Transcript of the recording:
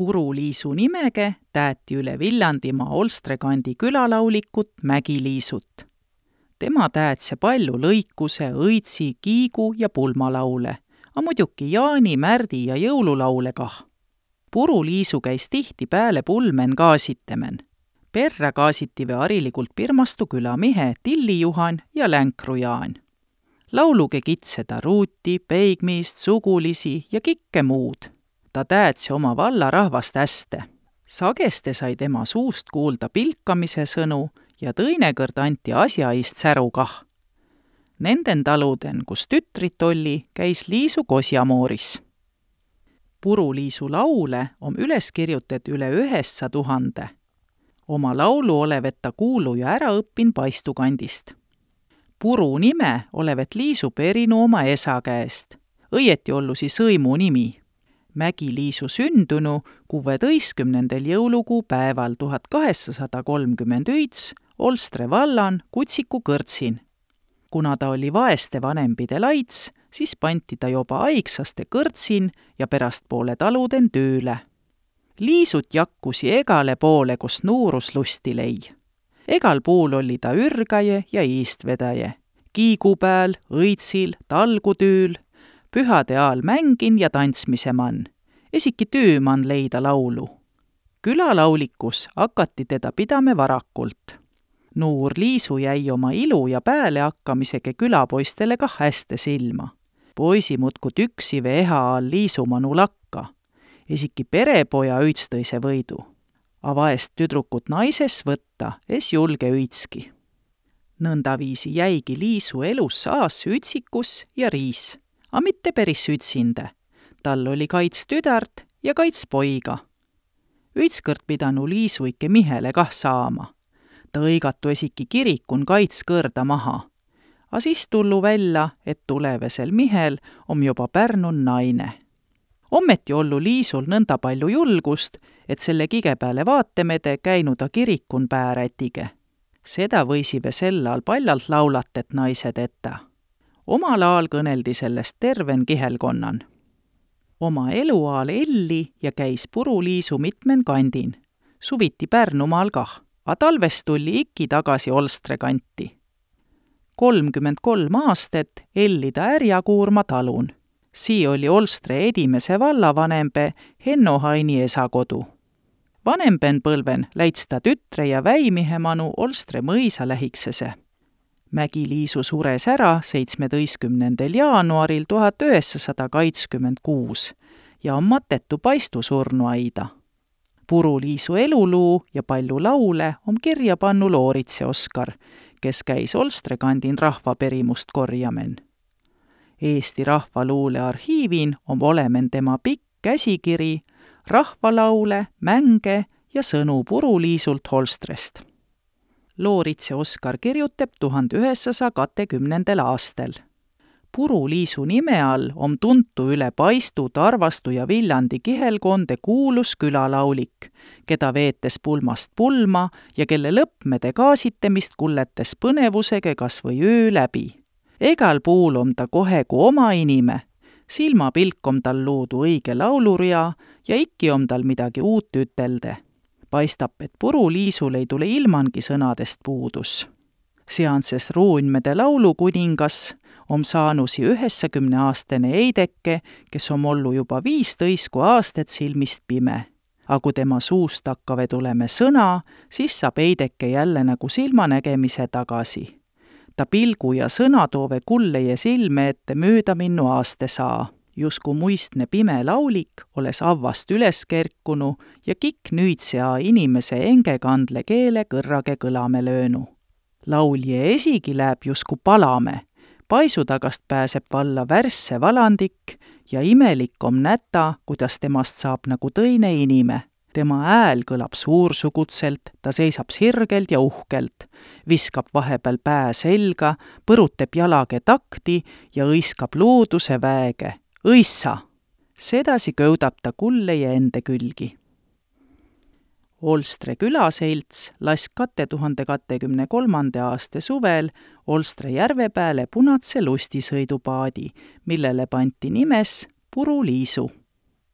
Puru-Liisu nimege tääti üle Viljandimaa Olstre kandi külalaulikut Mägi-Liisut. Tema täätse palju lõikuse, õitsi, kiigu ja pulmalaule, a muidugi Jaani, Märdi ja jõululaule kah. Puru-Liisu käis tihti pääle pulmen kaasitemen. Perrä kaasitive hariligult Pirmastu külamihe Tilli Juhan ja Länkru Jaan. Lauluge kitseda ruuti, peigmiist, sugulisi ja kikke muud. Ta täätse oma valla rahvast häste. Sageste sai tema suust kuulda pilkamise sõnu ja tõinekõrd anti asjaist säru kah. Nenden taluden, kus tütrit oli, käis Liisu kosjamooris. Puru-Liisu laule on üles kirjutet üle 900. Oma laulu olevet ta kuulu ja ära õppin Paistukandist. Puru nime olevet Liisu perinu oma esa käest. Õieti ollusi sõimu nimi. Mägi-Liisu sündunu 16. jõulukuu päeval 1839 Olstre vallan Kutsiku kõrtsin. Kuna ta oli vaeste vanempide laits, siis panti ta juba aigsaste kõrtsin ja pärastpoole taluden tööle. Liisut jakkusi egale poole, kus nuurus lusti lei. Egal puul oli ta ürgaje ja iistvedaje. Kiigu pääl, õitsil, talgutüül, pühade aal mängin ja tantsmise man. Esiki tööman leida laulu. Külalaulikus hakati teda pidame varakult. Nuur Liisu jäi oma ilu ja pääle hakkamisega külapoistele kah häste silma. Poisi mutku tüksive eha all Liisumanu lakka. Esiki perepoja üitstõise võidu. A vaest tüdrukut naises võtta, es julge üitski. Nõndaviisi jäigi Liisu elus saas ütsikus ja riis, a mitte peris ütsinde. Tal oli kaits tüdart ja kaits poiga. Ütskõrd pidanu Liisu ikke mihele kah saama. Ta õigatu esiki kirikun kaits kõrda maha. A siis tullu välja, et tulevesel mihel on juba Pärnun naine. Ommeti ollu Liisul nõnda palju julgust, et selle kige pääle vaatemede käinu ta kirikun päärätige. Seda võisive sel aal paljalt laulatet naised etta. Omal aal kõneldi sellest terven kihelkonnan. Oma eluaal elli ja käis Puru-Liisu mitmen kandin. Suviti Pärnumaal kah, a talvest tulli ikki tagasi Olstre kanti. 33 aastat elli ta Ärjakuurma talun. Sii oli Olstre edimese vallavanembe Henno Haini esakodu. Vanemben põlven läits ta tütre ja väimihemanu Olstre mõisa lähiksese. Mägi-Liisu sures ära 17. jaanuaril 1926 ja on matetu Paistu surnuaida. Puru-Liisu eluluu ja palju laule on kirja pannu Looritse Oskar, kes käis Olstre kandin rahvaperimust korjamen. Eesti Rahvaluule arhiivin on olemen tema pikk käsikiri, rahvalaule, mänge ja sõnu Puru-Liisult Olstrest. Looritse Oskar kirjutab 1920. aastal. Puru-Liisu nime all on tuntu üle Paistu, Tarvastu ja Viljandi kihelkonde kuulus külalaulik, keda veetes pulmast pulma ja kelle lõppmede kaasitemist kulletes põnevusega kas või öö läbi. Egal puul on ta kohe kui oma inime, silmapilk on tal luudu õige lauluria ja ikki on tal midagi uut ütelde. Paistab, et Puru-Liisul ei tule ilmangi sõnadest puudus. Seanses Ruunmede laulukuningas on saanusi 90-aastane Eideke, kes on ollu juba 15 aastat silmist pime. A kui tema suust hakkave tuleme sõna, siis saab Eideke jälle nagu silmanägemise tagasi. Ta pilgu ja sõna toove kulleje silme ette mööda minnu aaste saa. Jusku muistne pime laulik oles avvast üles kerkunu ja kikk nüüdsea inimese engekandle keele kõrrage kõlame löönu. Laulje esigi läheb jusku palame. Paisu tagast pääseb valla värsse valandik ja imelik on näta, kuidas temast saab nagu tõine inime. Tema ääl kõlab suursugutselt, ta seisab sirgelt ja uhkelt, viskab vahepeal pää selga, põrutab jalage takti ja õiskab looduse väege. Õissa! Sedasi kõudab ta kulleje ende külgi. Olstre külaselts las 2023. aasta suvel Olstre järve pääle punatse lustisõidupaadi, millele panti nimes Puru-Liisu.